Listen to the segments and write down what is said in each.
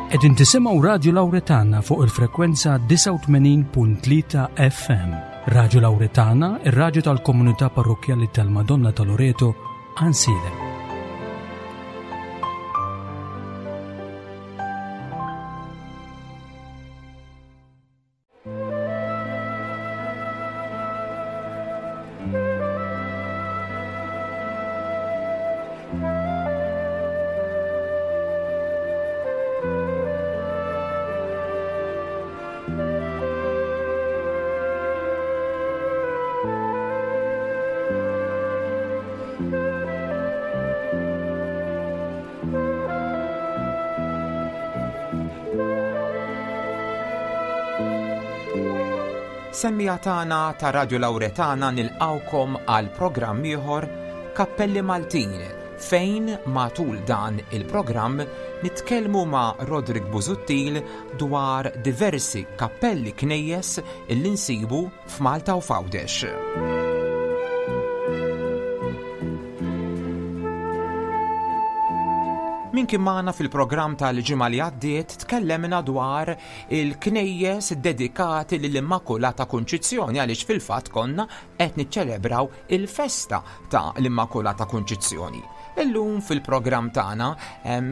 Qegħdin tisimgħu Radju Lawretana fuq il-frekwenza 89.3 FM. Radju Lawretana, ir-radju tal-komunità parrokkjali tal-Madonna ta' Loreto, Ansiedem. Semmiegħa tagħna ta' Radio Lauretana nilqgħukom għal programm ieħor Kappelli Maltin fejn matul dan il-programm nitkellmu ma' Roderick Busuttil dwar diversi kappelli knejjes illi nsibu f'Malta u f'Għawdex. Min kien magħna fil-programm tal-ġimgħa li għaddiet tkellemna dwar il-knejjes dedikati lill-Immakulata Kunċizzjoni għaliex fil-fatt konna qed niċċelebraw il-festa ta' l-Immakulata Kunċizzjoni. Illum fil-programm tagħna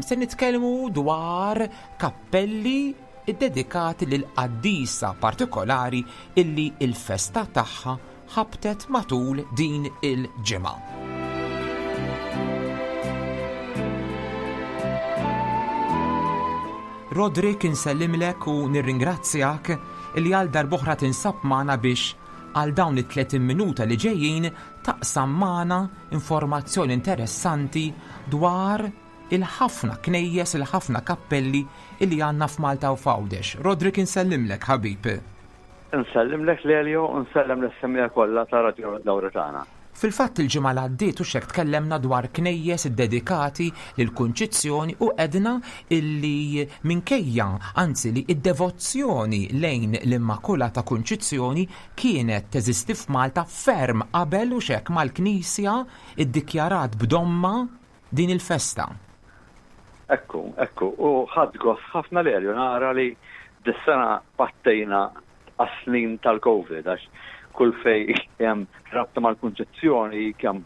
se nitkellmu dwar kappelli iddedikati lil qaddisa partikolari illi l-festa tagħha ħabtet matul din il-ġimgħa. Roderick insellimlek u nirringrazzjak illi għal darb'oħra tinsab magħna biex għal dawn it-30 minuta li ġejjin taqsam magħna informazzjoni interessanti dwar il-ħafna knejjes, il-ħafna kappelli illi għandna f'Malta u f'Għawdex. Roderick insellimlek ħabib. Insellimlek Lelio u nsellem lis-semmiegħa kollha ta' Radio Lawretana. Fil-fatt il-ġimgħa li għaddiet hux hekk tkellemna dwar knejjes iddedikati lill-Kunċizzjoni u għedna illi minkejja, anzi li d-devozzjoni lejn l-Immakulata Kunċizzjoni kienet teżisti f'Malta ferm qabel hux hekk mal-Knisja ddikjarat b'domma din il-festa. Ekku, ekku, u ħadt gost ħafna Lelio nara li dis-sena pattejna għas-snin tal-Covid għax kull fej hemm rabta mal-Kunċizzjoni kemm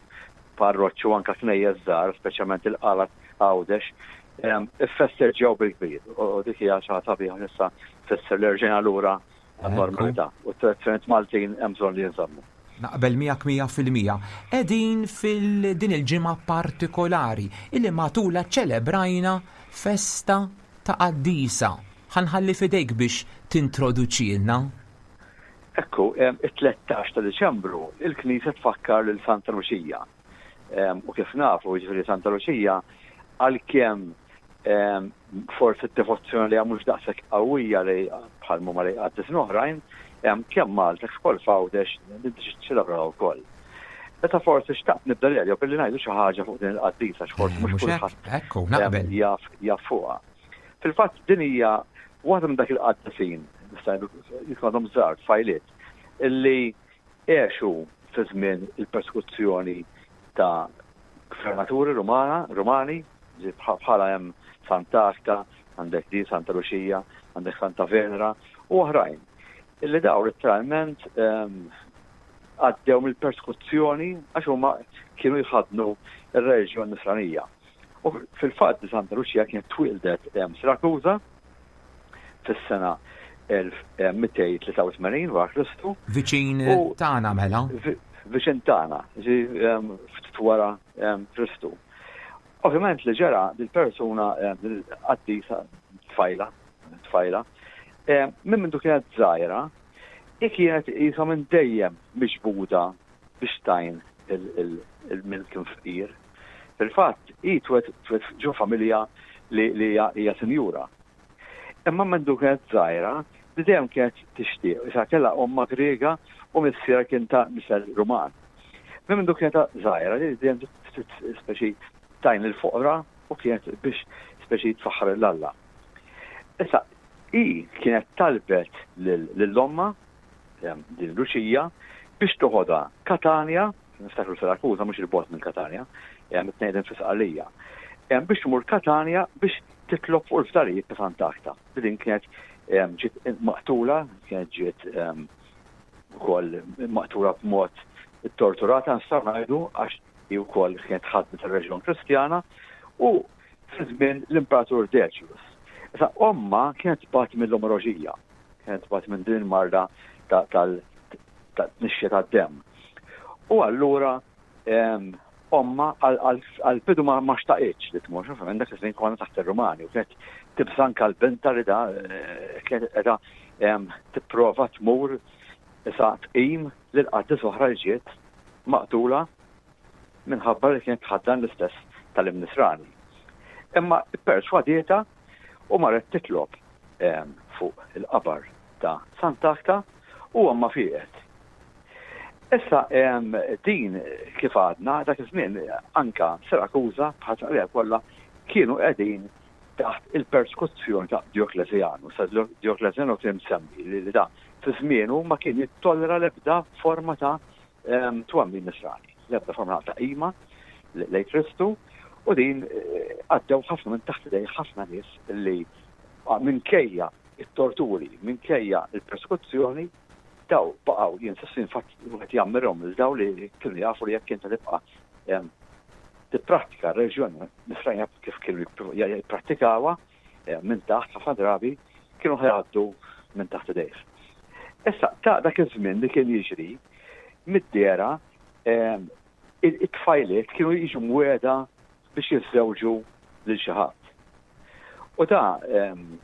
parroċċi u anka knejjes żgħar, speċjalment il-Qala Għawdex, iffesteġġjaw bil-kbir. U dik hija xi ħaġa sabiħa issa tfisser li rġejna lura għan-normalità u t-tradizzjonijiet Maltin hemm bżonn li jinżammu. Naqbel miegħek 100%. Qegħdin fil din il-ġimgħa partikolari illi matulha ċċelebrajna festa ta' qaddisa. Ħa nħalli f'idejk biex tintroduċielna. Ekku, it-13 ta' Diċembru il-Knisja tfakkar lil Santa Luċija. U kif nafu, jiġifieri Santa Luċija għalkemm forsi d-devozzjoni li mhux daqshekk qawwija li bħal huma li qaddisin oħrajn, kemm Malta kif ukoll f'Għawdex niċċelebraw ukoll. Meta forsi xtaqt nibda l billi ngħidu xi ħaġa fuq din il-qaddisa x'forsi eh, mhux kulħadd jaf jaf fuqha. Fil-fatt din hija waħda minn dak il-qaddisin, nista' għadhom żgħar tfajliet, illi għexu fi żmien il-persekuzzjoni ta' gvernaturi Rumana, Rumani, bħala hemm Sant'Agata, għandek di Santa Luċija, għandek Santa Venera u oħrajn. Illi daw letteralment ehm, għaddew mill-persekuzzjoni għax huma kienu jħadnu ir-reliġjon nisranija. U fil-fatt Santa Luċija kienet twildet ehm, Sirakuża, fis-sena 1283 wara Kristu. Viċin tagħna mela. Viċin tagħna, ftit wara Kristu. Ovvjament li ġara dil-persuna qaddisa tfajla, tfajla, minn mindu kienet żgħira, hi kienet qisha minn dejjem miġbuda biex tgħin il-min kien fqir. Fil-fatt, hi twet ġo familja li hija sinjura. Imma mindu kienet żgħira, li dejjem kienet tixtieq, issa kellha ommha Griega u missierha kien ta' nisel Ruman. Minn mindu kienet żgħira, li dejjem speċi tgħin lill-foqra u kienet biex speċi tfaħħar lil Alla. Issa, hi kienet talbet lil ommha, din Luċija, biex toħodha Katanja, niftakru Sirakuża mhux il-bogħod minn Katanja, it-tnejn fi Sqallija. biex tmur Katanja biex titlob fuq il-fdalijiet ta' Sant'Agta. Li din kienet ġiet maqtula, kienet ġiet ukoll maqtula b'mod torturata nistgħu ngħidu għax hi wkoll kienet ħadmet ir-reġjon Kristjana u fi żmien l-Imperatur Decius. Issa ommha kienet tbati mill-omoroġija, kienet tbati minn din il-marda tal-tnixxija tad-demm. U allura ommha għall-bidu ma xtaqitx li tmur, ovvjament dak iż-żmien konna taħt ir-Rumani u kienet tibża' anke l-binta li da kienet qiegħda tipprova tmur issa tqim lil qaddis oħra li ġiet maqtula minħabba li kienet tħaddan l-istess tagħlim Nisrani. Imma pperswadietha u marret titlob fuq il-qabar ta' Sant'Agħta u ommha fieqet. Issa din kif għadna dak iż-żmien anka Sirakuża bħal Sqallija kollha kienu qegħdin taħt il-persekuzzjoni ta' Djoklezjanu. Sa Djoklezjanu kien msemmi li da fi żmienu ma kien jittollera l-ebda forma ta' twemmin nisrani, l-ebda forma ta' qima lejn Kristu u din eh, għaddew ħafna minn taħt idej ħafna nies li minkejja it-torturi, minkejja il-persekuzzjoni, daw baqgħu jinsistu infatti wieħed jammirhom lil daw li kienu jafu li jekk inta tibqa' tipprattika r-reliġjon nisranija kif kienu jipprattikawha minn taħt ħafna drabi kienu ħajgħaddu minn taħt idejh. Issa ta' dak iż-żmien li kien jiġri mid-dera it-tfajliet kienu jiġu mweda biex jiżżewġu lil xi ħadd. U ta'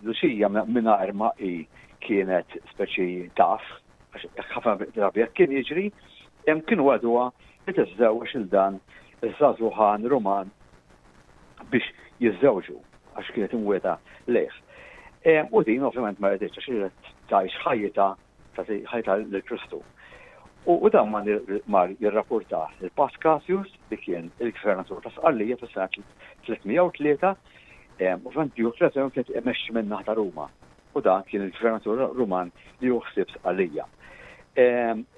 Luċija mingħajr ma hi kienet speċi taf, għax ħafna drabi hekk kien jiġri, hemm kienu għaduha li tiżżewweġ lil dan iż-żagħżugħan Ruman biex jiżżewġu għax kienet imwiegħda lejh. U din ovvjament ma riditx għax riedet tgħix ħajjitha tagħti ħajta lil Kristu. U dan mar jirrapportah lil Pascasius li kien il-gvernatur ta' Sqallija fis-sena 303, ovvjament Diocletian kien imexxi minn naħa ta' Ruma u dan kien il-gvernatur Ruman li hu ħsieb Sqallija.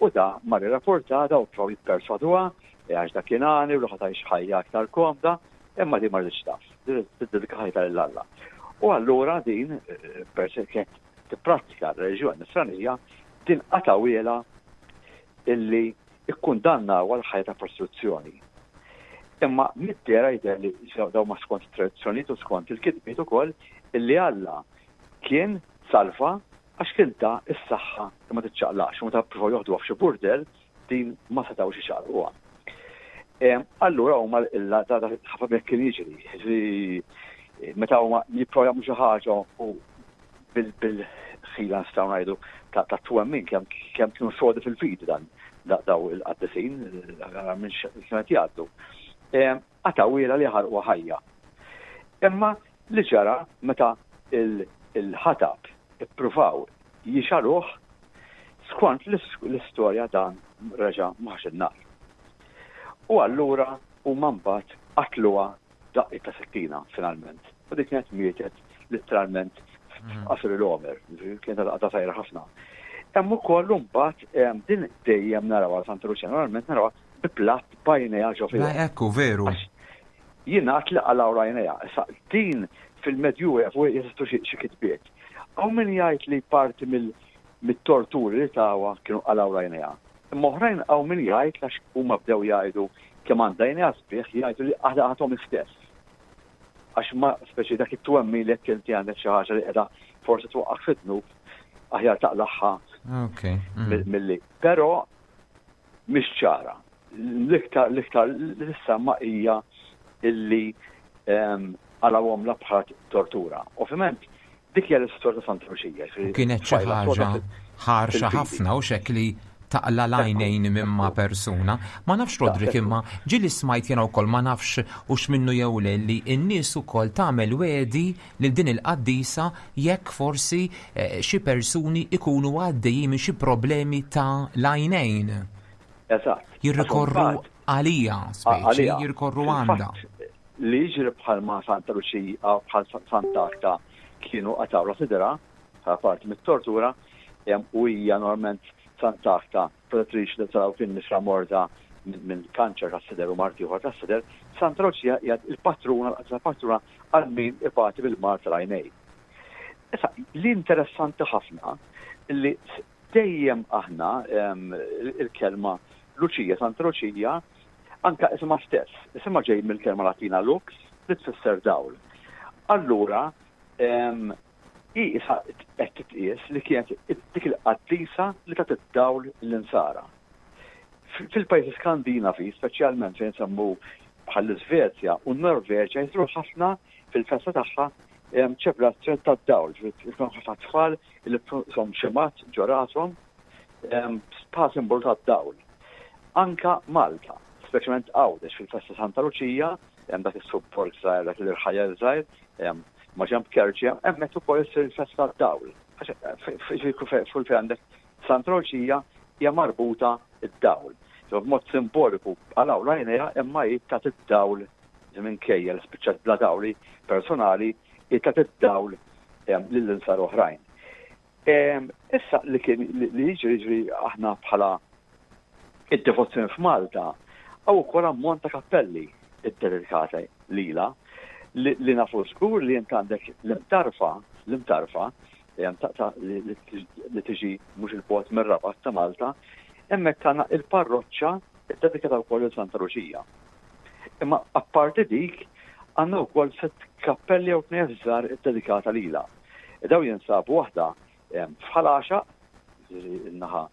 U da mar irrapporta daw provaw jipperswaduha għax dak kien għani u li ħa tgħix ħajja aktar komda, imma din ma riditx taf, tiddedika ħajta lil Alla. U allura din peress kienet tipprattika r-reliġjon Nisranija, din qatgħuhielha illi ikkundannawha għal ħajja ta' prostituzzjoni. Imma mid-dehra jidher li dawn ma skont it-tradizzjonijiet u skont il-kitbiet ukoll illi Alla kien salva għax kien ta s-saħħa li ma tiċċaqlaqx u meta ppruvaw joħduha f'xi burdell din ma setgħux iċaqlquha. Allura huma illa da ħafna mek kien jiġri, jiġri meta huma jipprovaw jagħmlu xi ħaġa u bil-ħila nistgħu ngħidu ta' twemmin kemm kienu sodi fil-fidi dan daw il-qaddisin minn x'kienet jgħaddu. Qatgħuhielha li ħarquha ħajja. Imma li ġara meta il-ħatab ippruvaw jixgħaluh, skont l-istorja dan reġa' ma ħax in-nar. U allura huma mbagħad qatluha b'daqqiet ta' sikkina finalment. U dik kienet mietet litteralment f'qasir il-għomer, kienet għadha żgħira ħafna. Hemm ukoll imbagħad din dejjem narawha Santa Luċija, normalment narawha bi platt b'għajnejha ġo fiha. Ekku, veru. Jingħad li qalgħu għajnejha. Issa din fil-Medjuevu jeżistu xi kitbiet. Hawn min jgħid li parti mit-torturi li tawha kienu qalgħu għajnejha. Imma oħrajn hawn min jgħid għax huma bdew jgħidu kemm għandha għajnejha sbieħ jgħidu li qalgħathom hi stess. Għax ma speċi dak it-twemmin li jekk inti għandek xi ħaġa li qiegħda forsi twaqqgħek fid-dnub aħjar taqlagħha milli. Però mhix ċara. L-iktar l-iktar li tissemma hija illi qalgħuhomlha bħala tortura. Ovvjament dik hija l-istorja ta' Santa Luċija. Kienet xi ħaġa ħarxa ħafna u xek li taqla l-għajnejn minn ma' persuna. Ma nafx Rodrik imma ġieli smajt jiena wkoll ma nafx hux minnu jew le li n-nies ukoll tagħmel wegħdi lil din il-qaddisa jekk forsi eh, xi persuni ikunu għaddejjin minn xi problemi ta' l-għajnejn. Eżatt. Jirrikorru għalija, speċi, jirrikorru għandha. Li jiġri bħal ma Santa Luċija bħal Santa Agta kienu qatgħu sidra bħala parti mit-tortura u hija normalment Santa Agta protettriċi ta' dawk in-nisra morda minn kanċer tas-sider u mard ieħor tas-sider, Santa Luċija hija l-patruna, l-qaddisa patruna għal min ibati bil-mard tal-għajnejn. Issa, li interessanti ħafna li dejjem aħna il-kelma Luċija, Santa Luċija, anka isimha stess, isimha ġej mill-kelma Latina lux li tfisser dawl. Allura, hi issa qed titqies li kienet dik il-qaddisa li tat id-dawl lill-insara. Fil-pajjiżi Skandinavi, speċjalment fejn nsemmu bħall-Iżvezja u n-Norveġja jsiru ħafna fil-festa tagħha ċelebrazzjoni tad-dawl, ġifieri ħafna tfal li som xemat ġo rashom bħala simbolu tad-dawl. Anka Malta, speċjalment Għawdex fil-festa Santa Luċija, hemm dak is-subborg żgħir, dak l-irħajja żgħir, ma ġemb Kerċi, hemmhekk ukoll issir il-festa tad-dawl. Fuq fejn għandek Santa Luċija hija marbuta d-dawl. B'mod simboliku għalaw l-għajnejha imma hi tat id-dawl minkejja li spiċċat bla dawli personali hi tat id-dawl lil insar oħrajn. Issa li kien li jiġri jiġri aħna bħala id-devozzjoni f'Malta hawn ukoll ammont ta' kappelli ddedikati lilha li nafu żgur li int għandek l-imtarfa, l-imtarfa li tiġi mhux il-bogħod mir-Rabat ta' Malta, hemmhekk għandna il-parroċċa ddedikata wkoll lil Santa Luċija. Imma apparti dik għandna wkoll sett kappelli jew knejjes żgħar iddedikata lilha. Daw jinsabu waħda f'Ħal Għaxaq, in-naħa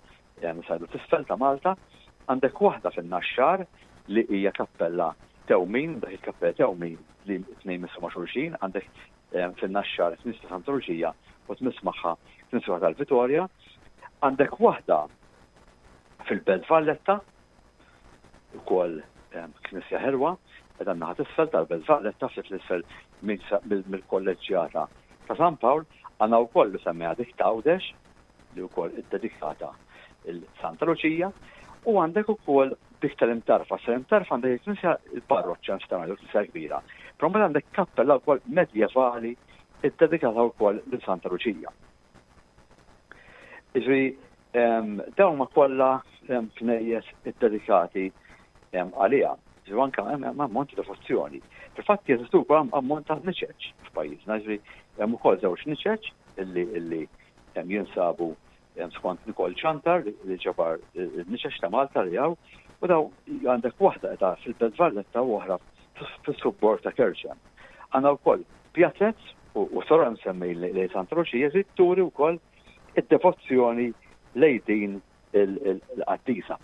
sajdu t'isfel ta' Malta, għandek waħda fin-Naxxar li hija kappella Tewmin, dak il-kappella Tewmin li tnejn missu ma' xulxin, għandek fin-Naxxar Knisja Santa Luċija u tmiss magħha Knisja tal-Vitorja. Għandek waħda fil-Belt Valletta, ukoll knisja ħelwa, qiegħda n-naħa t'isfel tal-Belt Valletta, ftit l-isfel mill-kolleġġjata ta' San Pawl, għandna wkoll li semmejha dik t'Għawdex, li wkoll iddedikata lil Santa Luċija, u għandek ukoll dik tal-Imtarfa. Sal-Imtarfa għandek il-knisja il-parroċċa nistgħu ngħidu knisja kbira. Però mbagħad għandek kappella wkoll medjevali iddedikata wkoll lil Santa Luċija. Iġri dawn ma kollha knejjes iddedikati għaliha. Ġifieri anke hemm ammont ta' devozzjoni. Fil-fatt jeżistu wkoll ammont ta' niċeċ f'pajjiżna, ġifieri hemm ukoll żewġ niċeċ illi illi jinsabu skont Nicole Ciantar li ġabar in-niċeċ ta' Malta li hawn u daw għandek waħda qiegħda fil-Belt Valletta u oħra fis-subborg ta' Kerċem. Għandna wkoll pjazez u sora nsemmej lejn Santa Luċija li turi wkoll id-devozzjoni lejn din il-qaddisa.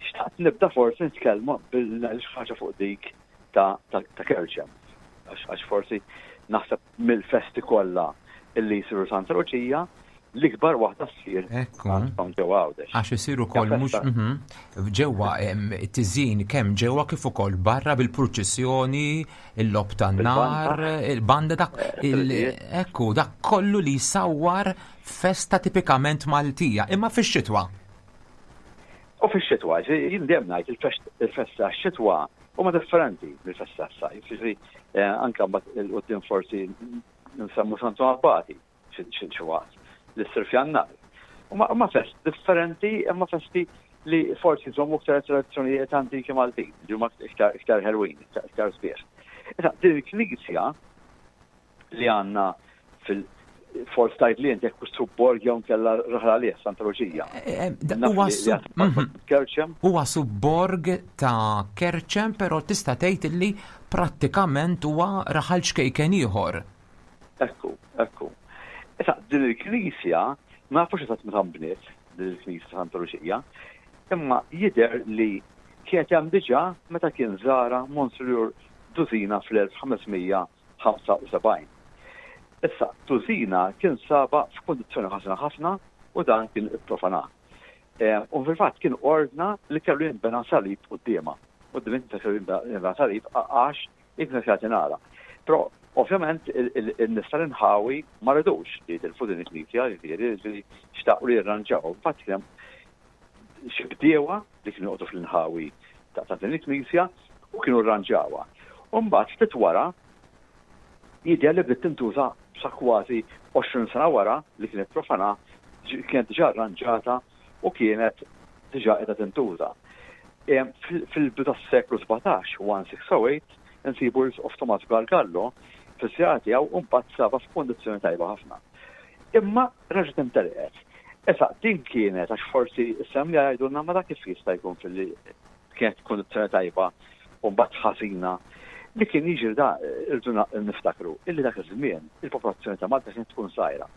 Xtaqt nibda forsi nitkellmu bil ħaġa fuq dik ta' Kerċem. Għax forsi naħseb mill-festi kollha illi jsiru Santa Luċija, l-ikbar waħda ssir għandhom ġewwa Għawdex. Għax isiru wkoll mhux mhm. ġewwa tiżin kemm ġewwa kif ukoll barra bil-purċissjoni, il-lob tan-nar, il-banda dak eh, ekku dak kollu li jsawwar festa tipikament Maltija, imma fix-xitwa. U fix-xitwa, jien dejjem ngħid il-festa x-xitwa huma differenti mill-festa s-sajf. Ġifieri eh, anke mbagħad il-qudiem forsi nsemmu Santu Abbati xi waqt li ssir f'Jannar. Huma fest differenti imma festi li forsi jżommu iktar tradizzjonijiet antiki Maltin, li huma iktar ħelwin, iktar sbieħ. Issa, din il-knisja li għandna fil- forsi tajt li inti jekk subborg jew nkella raħla għalih Santa Luċija. Eh, eh, mhm. Huwa subborg ta' Kerċem, però tista' tgħid li prattikament huwa raħal ċkejken ieħor. Ekku, ekku. Issa din il-knisja ma nafux eżatt meta nbniet din il-knisja ta' Santa Luċija, imma jidher li kienet hemm diġà meta kien żara Monsinjur Duzina fl-1500 75. Issa, Tuzina kien sabha f'kundizzjoni ħażina ħafna u dan kien ipprofanah. U fil-fatt kien ordna li kellu jinbena salib quddiemha. Quddiem il-knisja kellu jinbena salib għax il-knisja kienet tingħalaq. Però ovvjament in-nies tal-inħawi ma ridux li jitilfu din il-knisja, jiġifieri xtaqu li jirranġawha. Infatti kien hemm xi bdiewa li kienu joqogħdu fl-inħawi ta' din il-knisja u kienu rranġawha. U mbagħad ftit wara jidher li bdiet tintuża sa kważi 20 sena wara li kienet profana kienet diġà rranġata u kienet diġà qiegħda tintuża. Fil-bidu tas-seklu 17, 1608, insibu l-Isqof Tomas Gargallo fiż-żjara tiegħu u mbagħad sabha f'kundizzjoni tajba ħafna. Imma reġgħet imtelqet. Issa din kienet għax forsi s-semmiegħa jgħidulna ma dak kif jista' jkun filli kienet f'kundizzjoni tajba u mbagħad ħażina. Li kien jiġri da irridu niftakru illi dak iż-żmien il-popolazzjoni ta' Malta kienet tkun żgħira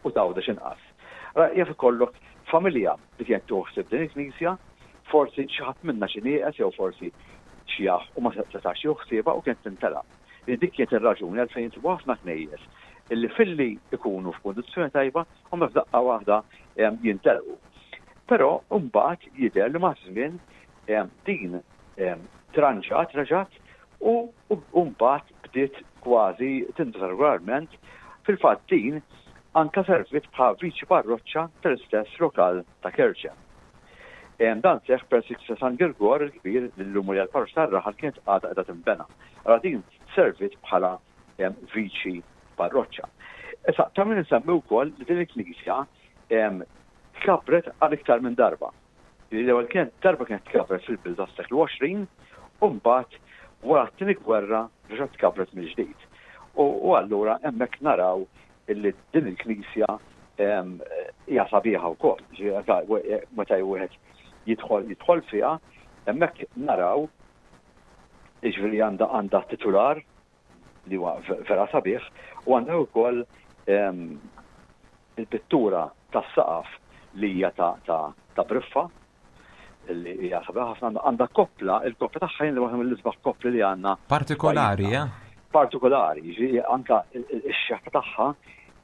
u t'Għawdex inqas. Ara jaf ikollok familja li kienet tieħu ħsieb din il-knisja, forsi xi ħadd minnha xi nieqes jew forsi xjaħ u ma setax jieħu ħsiebha u kienet tintelaq. Li dik kienet ir-raġuni għalfejn insibu ħafna knejjes illi filli jkunu f'kundizzjoni tajba huma f'daqqa waħda jintelqu. Però mbagħad jidher li maż-żmien din tranġat reġgħet u mbagħad bdiet kważi tintuża regolarment. Fil-fatt din anke serviet bħala viċi parroċċa tal-istess lokal ta' Kerċem. Dan seħħ peress li l-Knisja San Girgor il-Kbir, li llum hija l-parroċċa tar-raħal, kienet għadha qiegħda tinbena. Allura din serviet bħala viċi parroċċa. Issa, ta' min insemmi wkoll li din il-knisja tkabbret għal iktar minn darba. L-ewwel kienet darba kienet tkabbret fil-bidu tas-seklu 20 u mbagħad wara t-tieni gwerra reġgħet tkabbret mill-ġdid. U allura hemmhekk naraw illi din il-knisja hija sabiħa wkoll. Meta wieħed jidħol jidħol fiha, hemmhekk naraw jiġifieri għandha għandha titular li huwa vera sabiħ u għandha wkoll il-pittura tas-saqaf li hija ta' briffa li hija sabiħa ħafna għandha koppla, il-koppla tagħha jien waħda mill-isbaħ koppli li għandna. Partikolari, eh? Partikolari, jiġifieri anka x-xeħta tagħha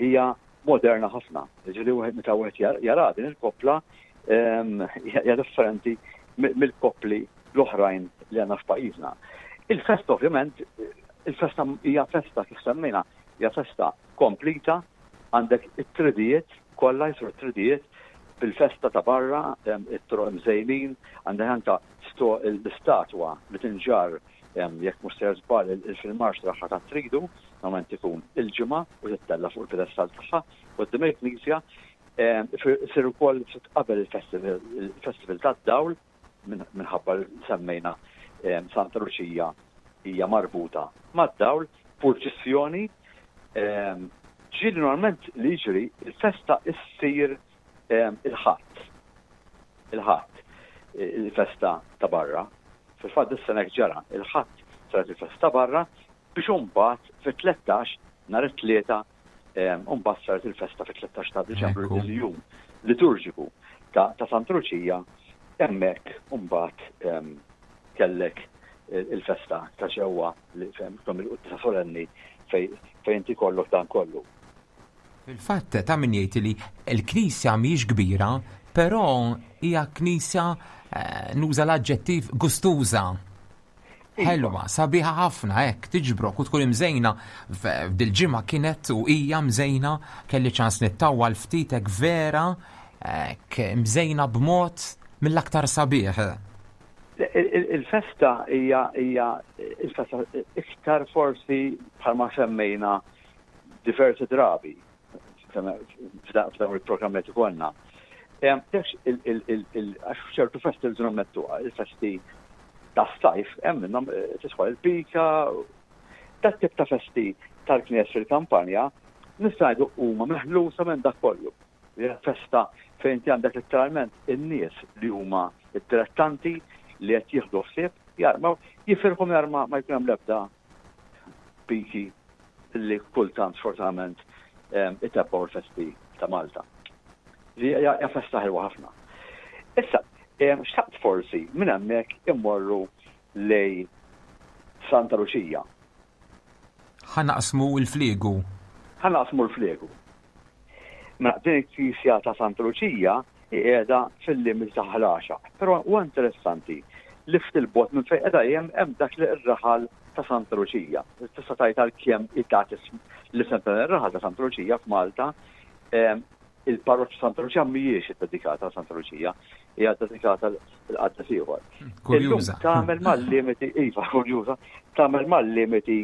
hija moderna ħafna. Jiġifieri wieħed meta wieħed jara din il-koppla hija differenti mill-koppli l-oħrajn li għandna f'pajjiżna. Il-festa ovvjament, il-festa hija festa kif semmejna, hija festa komplita, għandek it-tridijiet kollha jsiru t-tridijiet bil-festa ta' barra, it-toroq imżejnin, għandek anka l-istatwa li tinġarr jekk mhux sejjer żball fil-marċ tagħha tat-tridu, normalment ikun il-Ġimgħa u tittella' fuq il-pedestall tagħha quddiem il-knisja. Isir ukoll ftit qabel il-festival tad-dawl minħabba li semmejna Santa Luċija hija marbuta mad-dawl, purċissjoni. Ġieli normalment li jiġri il-festa issir il-Ħadd. Il-Ħadd, il-festa ta' barra. Fil-fatt dis-sena hekk ġara, il-Ħadd saret il-festa barra biex imbagħad fit-13 nhar it-Tlieta Mbagħad saret il-festa fit-13 ta' Diċembru il-jum liturġiku ta' Santa Luċija hemmhekk mbagħad kellek il-festa ta' ġewwa li fejn il-quddiesa solenni fejn inti kollok dan kollu. Fil-fatt ta' min jgħid li l-knisja mhijiex kbira, però hija knisja eh, nuża l-aġġettiv gustuża. Ħelwa, sabiħa ħafna hekk tiġbrok u tkun imżejna f'dil-ġimgħa kienet u hija mżejna kelli ċans nittawwal ftit hekk vera hekk mżejna b'mod mill-aktar sabiħ. Il-festa hija hija il-festa iktar forsi bħalma semmejna diversi drabi f'dawn il-programmi li ikollna. Għax f'ċertu festi rridu nammettu, il-festi tas-sajf hemm minnhom eh, tidħol il-pika, dat tip ta' festi tal-knies fil-kampanja nista' ngħidu huma meħlusa minn dak kollu. Festa fejn inti għandek letteralment in-nies li huma id-dilettanti li qed jieħdu ħsieb jarmaw, jifirħu mingħajr ma jkun hemm l-ebda piki li kultant sfortunatament itebbgħu l-festi ta' Malta. Li hija festa ħelwa ħafna. Issa, xtaqt forsi minn hemmhekk immorru lej Santa Luċija. Ħa naqsmu l-fliegu. Ħa naqsmu l-fliegu. Mela din il-knisja ta' Santa Luċija hi qiegħda fil-limiti ta' Ħal Għaxaq. Però huwa interessanti li ftit 'il bogħod minn fejn qiegħda hi hemm dak li r-raħal ta' Santa Luċija. Tista' tgħid għalkemm hi tat l-isem ta' dan ir-raħal ta' Santa Luċija f'Malta, il-parroċċa Santa Luċija mhijiex iddedikata għal Santa Luċija, hija ddedikata l-qaddes ieħor. Kurjuża. Tagħmel mal-limiti, iva, kurjuża, tagħmel mal-limiti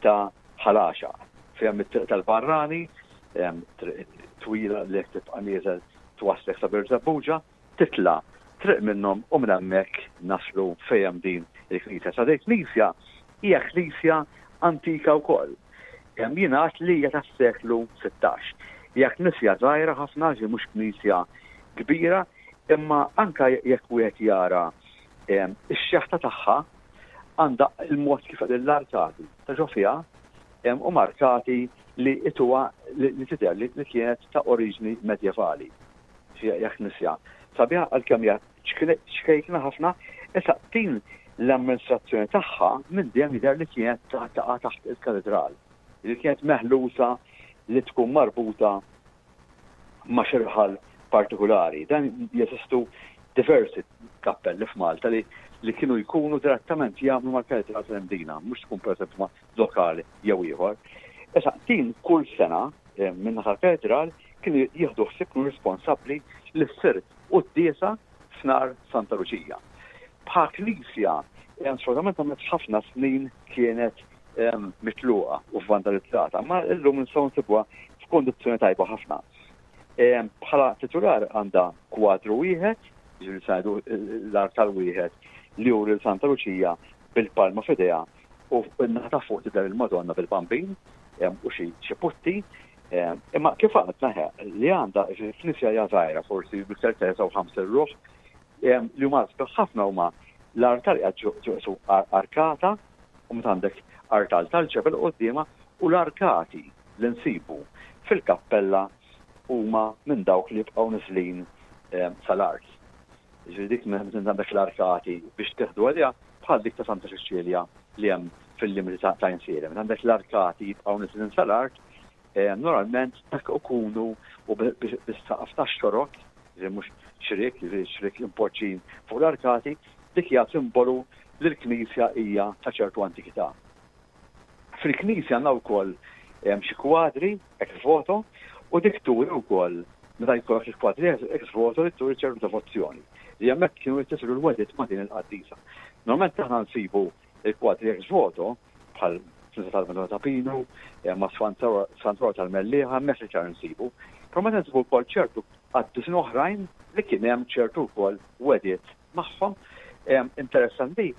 ta' Ħal Għaxaq. Fejn hemm it-triq tal-Barrani, triq twila li jekk tibqa' nieżel twasslek sa Birżebbuġa, titla' triq minnhom u minn hemmhekk naslu fejn hemm din il-knisja. Sa din il-knisja hija knisja antika wkoll. Jingħad li hija tas-seklu 16. Hija knisja żgħira ħafna, ġi mhux knisja kbira, imma anka jekk wieħed jara ix-xeħta tagħha għandha il-mod kif l-arkati ta' ġo fiha u markati li ituha li tidher li kienet ta' oriġni medjevali. Hija knisja sabiħa għalkemm hija ċkejkna ħafna, issa din l-amministrazzjoni tagħha minn dejjem jidher li kienet taqa' taħt il-katedral, li kienet meħlusa li tkun marbuta ma' xi raħal partikulari. Dan jeżistu diversi kappelli f'Malta li li kienu jkunu direttament jagħmlu mal-katedral tal-Imdina, mhux tkun pereżempju ma' lokal jew ieħor. Issa din kull sena eh, minn tal-katedral kienu jieħdu ħsieb kienu responsabbli li ssir quddiesa f'nar Santa Luċija. Bħal knisja, eh, sfortunatament għamlet ħafna snin kienet mitluqa u vandalizzata, ma illum nistgħu nsibuha f'kondizzjoni tajba ħafna. Bħala titular għandha kwadru wieħed, ġifieri sajdu l-artal wieħed li juri Santa Luċija bil-palma f'idejha u n-naħa ta' fuq tidher il-Madonna bil-Bambin u xi putti. Imma kif għadna li għandha knisja hija żgħira forsi biktar 53 ruħ li huma ħafna huma l-artal qiegħed arkata u meta għandek artal tal-ġebel quddiemha u l-arkati li nsibu fil-kappella huma minn dawk li jibqgħu niżlin sal-art. Jiġifieri dik meta għandek l-arkati biex tieħdu għaliha bħal dik ta' Santa Ċeċilja li hemm fil-limiti ta' Għajnsielem. Meta għandek l-arkati jibqgħu niżlin sal-art, normalment dak ikunu u bis-saqaf tax-xorok, jiġifieri mhux xriek, jiġifieri xriek impoġġin fuq l-arkati, dik hija simbolu li l-knisja hija ta' ċertu antikità. Fil-knisja għandna wkoll xi kwadri ex voto u dik turi wkoll meta jkollok il-kwadri ex voto li turi ċertu devozzjoni li hemmhekk kienu jittisiru l-wedit ma' din il-qaddisa. Normalment aħna nsibu il-kwadri ex voto bħal Knisja tal-Madonna ta' Pinu, ma' Santwar tal-Mellieħa, hemmhekk iktar nsibu. Però meta nsibu wkoll ċertu qaddisin oħrajn li kien hemm ċertu wkoll wediet magħhom. Interessanti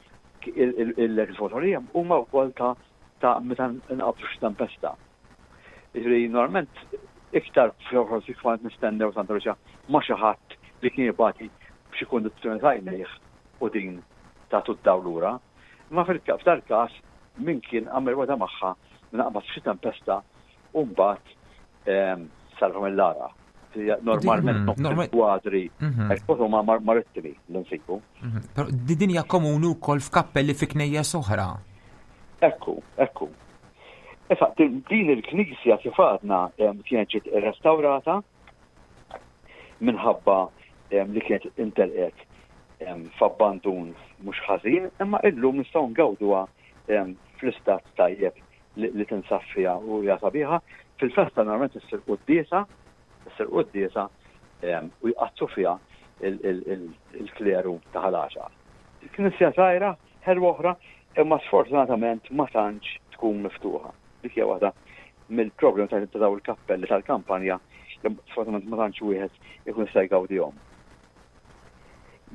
l-ex voto li hemm huma wkoll ta' ta' meta nqabdu xi tempesta. Jiġifieri normalment iktar forsi kont nistennew Santa Luċija ma' xi ħadd li kien jibati b'xi kundizzjoni ta' għajnejh u din tagħtu d-dawl lura. Imma f'dal-każ min kien għamel wegħda magħha minn nqabad f'xi tempesta u mbagħad salva mill-għarqa. Normalment mhm. kwadri mhm. hekk huma marittimi li nsibu. Mhm. Però din hija komuni wkoll f'kappelli fi knejjes oħra. Ekku, ekku. Issa din il-knisja kif għadna kienet ġiet irrestawrata minħabba li kienet intelqet f'abbandun mhux ħażin, imma illum nistgħu ngawduha fl-istat tajjeb li tinsab fiha u hija sabiħa. Fil-festa normalment issir quddiesa, issir quddiesa u jqaddsu fiha il-kleru ta' Ħal Għaxaq. Knisja żgħira, ħelwa oħra, imma sfortunatament ma tantx tkun miftuħa. Dik hija waħda mill-problemi ta' dawn il-kappelli tal-kampanja li sfortunatament ma tantx wieħed ikun jista' jgawdihom.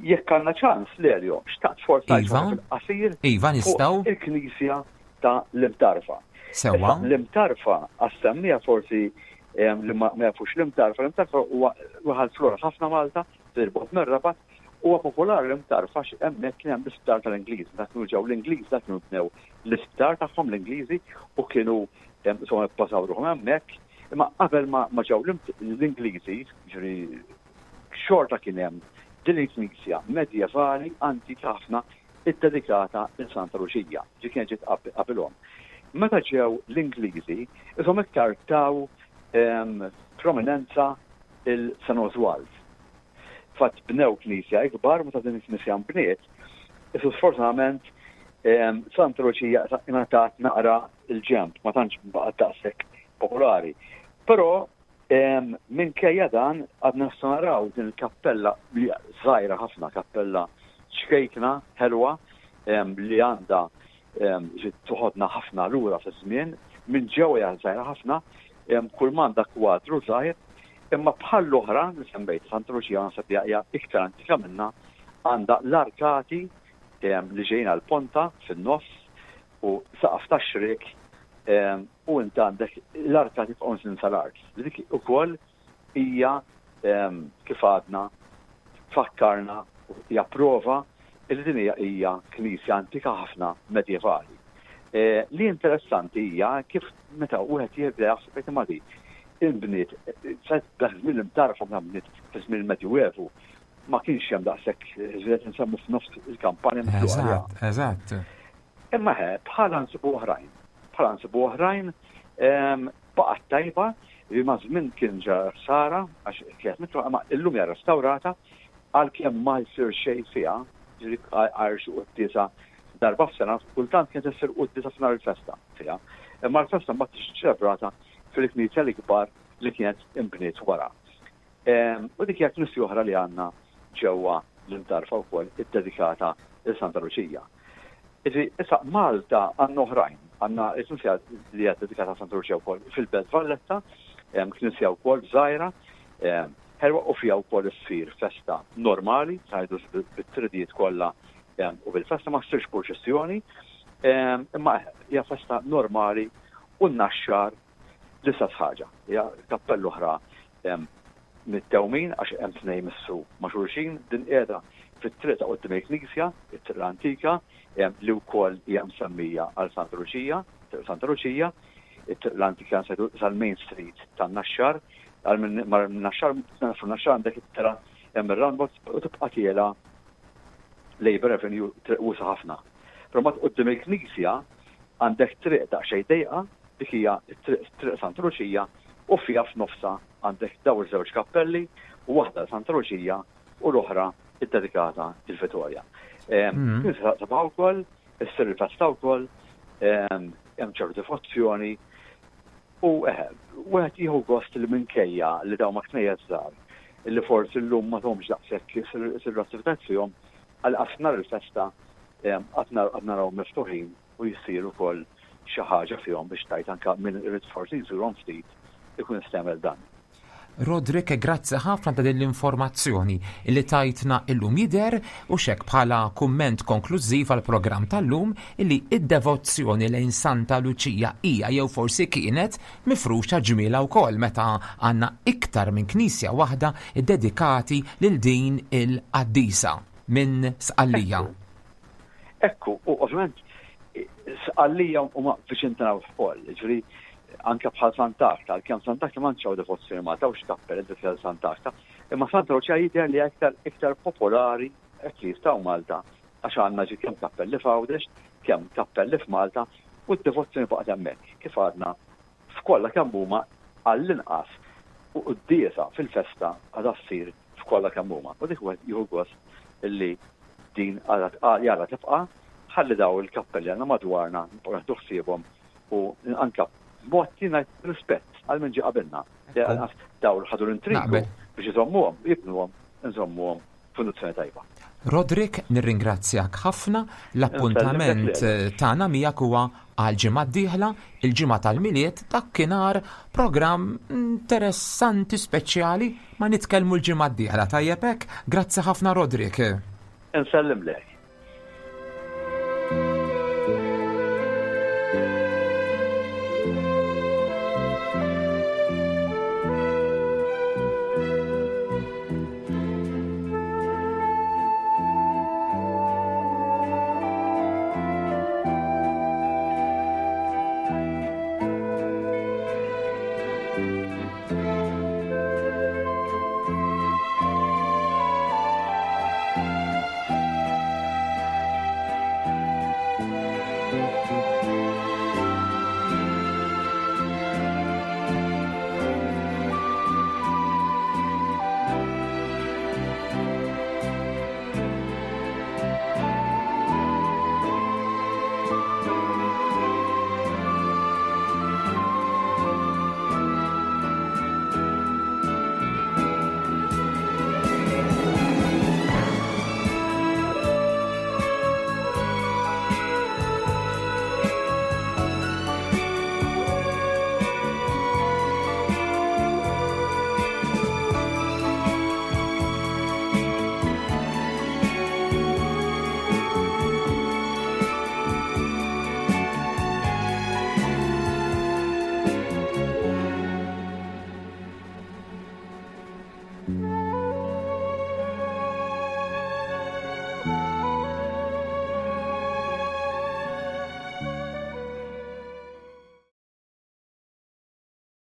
Jekk għandna ċans, Lelio, xtaqt forsi iva, fil-qasir iva, nistgħu. il-Knisja ta' l-Imtarfa. Sewwa. L-Imtarfa għas-semmija forsi li ma jafux l-Imtarfa, l-Imtarfa huwa raħal flora ħafna Malta, fil-bogħod mir-Rabat, huwa popolari l-Imtarfa għax hemmhekk kien hemm l-isptar tal-Ingliżi. Dak kienu ġew l-Ingliż, dak kienu bnew l-isptar tagħhom l-Ingliżi u kienu insomma bbażaw ruħhom hemmhekk. Imma qabel ma ġew l-Ingliżi, ġifieri xorta kien hemm din il-knisja medjevali antika ħafna iddedikata lil Santa Luċija, ġi kienet ġiet qabilhom. Meta ġew l-Ingliżi, ishom iktar taw prominenza il San Oswald. Fatt bnew knisja ikbar meta din il-knisja nbniet, isu sfortunatament Santa Luċija ingħatat naqra l-ġenb, ma tantx baqgħet daqshekk popolari. Però Minkejja dan, għadna nistgħu naraw din il-kappella li żgħira ħafna, kappella ċkejkna, ħelwa, li għandha toħodna ħafna lura fiż-żmien, minn ġewwa hija żgħira ħafna, kull m'għandha kwadru żgħir, imma bħal l-oħra li semmejt Santa Luċija naħseb li hija iktar antika minnha. Għandha l-arkati li ġejjin għall-ponta fin-nofs u saqaf ta' xriek u int għandek l-arkati jibqgħu nżlin sal-art. Li dik ukoll hija kif għadna tfakkarna u hija prova li din hija hija knisja antika ħafna medjevali. Li interessanti hija kif meta wieħed jibda jaħseb imma di inbniet dak żmien l-imtarfa meta bniet fi żmien il-Medjuevu ma kienx hemm daqshekk żviet insemmu f'nofs il-kampanja mitluqa. Eżatt, eżatt. Imma he, bħala nsibu oħrajn. Bħala nsibu oħrajn baqgħet tajba li ma' żmien kien ġara ħsara għax kienet mitluqa imma illum hija restawrata għalkemm ma jsir xejn fiha, ġifieri għajr xi quddiesa darba f'sena, kultant kienet issir quddiesa f'nhar il-festa fiha. Imma l-festa mbagħad tiġi ċelebrata fil-knisja l-ikbar li kienet inbniet wara. U dik hija knisja oħra li għandna ġewwa l-Imtarfa wkoll iddedikata lil Santa Luċija. Jiġifieri issa Malta għandna oħrajn, għandna l-knisja li hija ddedikata Santa Luċija wkoll fil-Belt Valletta, knisja wkoll żgħira, ħelwa u fiha wkoll issir festa normali, ngħidu bit-tridijiet kollha u bil-festa ma ssirx purċissjoni, imma hija festa normali u n-Naxxar L-istess ħaġa, hija kappella oħra mit-tewmin għax hemm tnejn jmissu ma' xulxin, din qiegħda fit-triq ta' quddiem il-knisja, it-triq l-antika, li wkoll hija msemmija għal Santa Luċija, Triq Santa Luċija, it-triq l-antika sal-Main Street tan-Naxxar, għal min mar Naxxar, nafu Naxxar għandek it-tera hemm ir-roundabout u tibqa' tiela Labour Avenue, triq wiesgħa ħafna. Però mbagħad quddiem il-knisja għandek triq daqsxejn dejqa, dik hija t-triq Triq Santa Luċija u fiha f'nofsha għandek dawn iż-żewġ kappelli, waħda għal Santa Luċija u l-oħra ddedikata lil Vitorja. Knisja sabiħa wkoll, issir il-festa wkoll, hemm ċertu devozzjoni u eħe, wieħed jieħu gost li minkejja li dawn ma knejjes żgħar li forsi llum ma thomx daqshekk isiru attivitajiet fihom, għal nhar il-festa għad naraw miftuħin u jsir ukoll xi ħaġa fihom biex tgħid anke min irid forsi jżurhom ftit ikun jista' jagħmel dan. Roderick, grazzi ħafna ta' din l-informazzjoni li tajtna illum jidher u xek bħala kumment konklużiv għal programm tal-lum illi id-devozzjoni lejn Santa Luċija hija jew forsi kienet mifruxa ġmiela wkoll meta għandna iktar minn knisja waħda ddedikati lil din il-qaddisa minn Sqallija. Ekku, u ovvjament Sqallija huma viċin tagħna wkoll, jiġifieri anke bħal Sant'Agata, għalkemm Sant'Agata ma hawn devozzjoni Malta u x'kappell dedikata Sant'Agata, imma Santa Luċija jidher li aktar iktar popolari at least hawn Malta għax għandna ġi kemm kappelli f'Għawdex, kemm kappelli f'Malta u d-devozzjoni baqgħet hemmhekk. Kif għadna f'kollha kemm huma għall-inqas u quddiesa fil-festa għadha ssir f'kollha kemm huma. U dik wieħed jieħu gost illi din għadha jara tibqa' ħalli daw il-kappelli għandna madwarna nibqgħu nieħdu ħsiebhom u anke b'mod li ngħid rispett għal min ġie qabilna. Daw ħadu l-intrigu biex iżommuhom, jibnuhom, nżommuhom f'kundizzjoni tajba. Roderick, nirringrazzjak ħafna. L-appuntament tagħna miegħek huwa għal ġimgħa d-dieħla, il-ġimgħa tal-Milied, dakinhar programm interessanti speċjali ma nitkellmu l-ġimgħa d-dieħla. Tajjeb hekk? Grazzi ħafna Roderick. Insellimlek.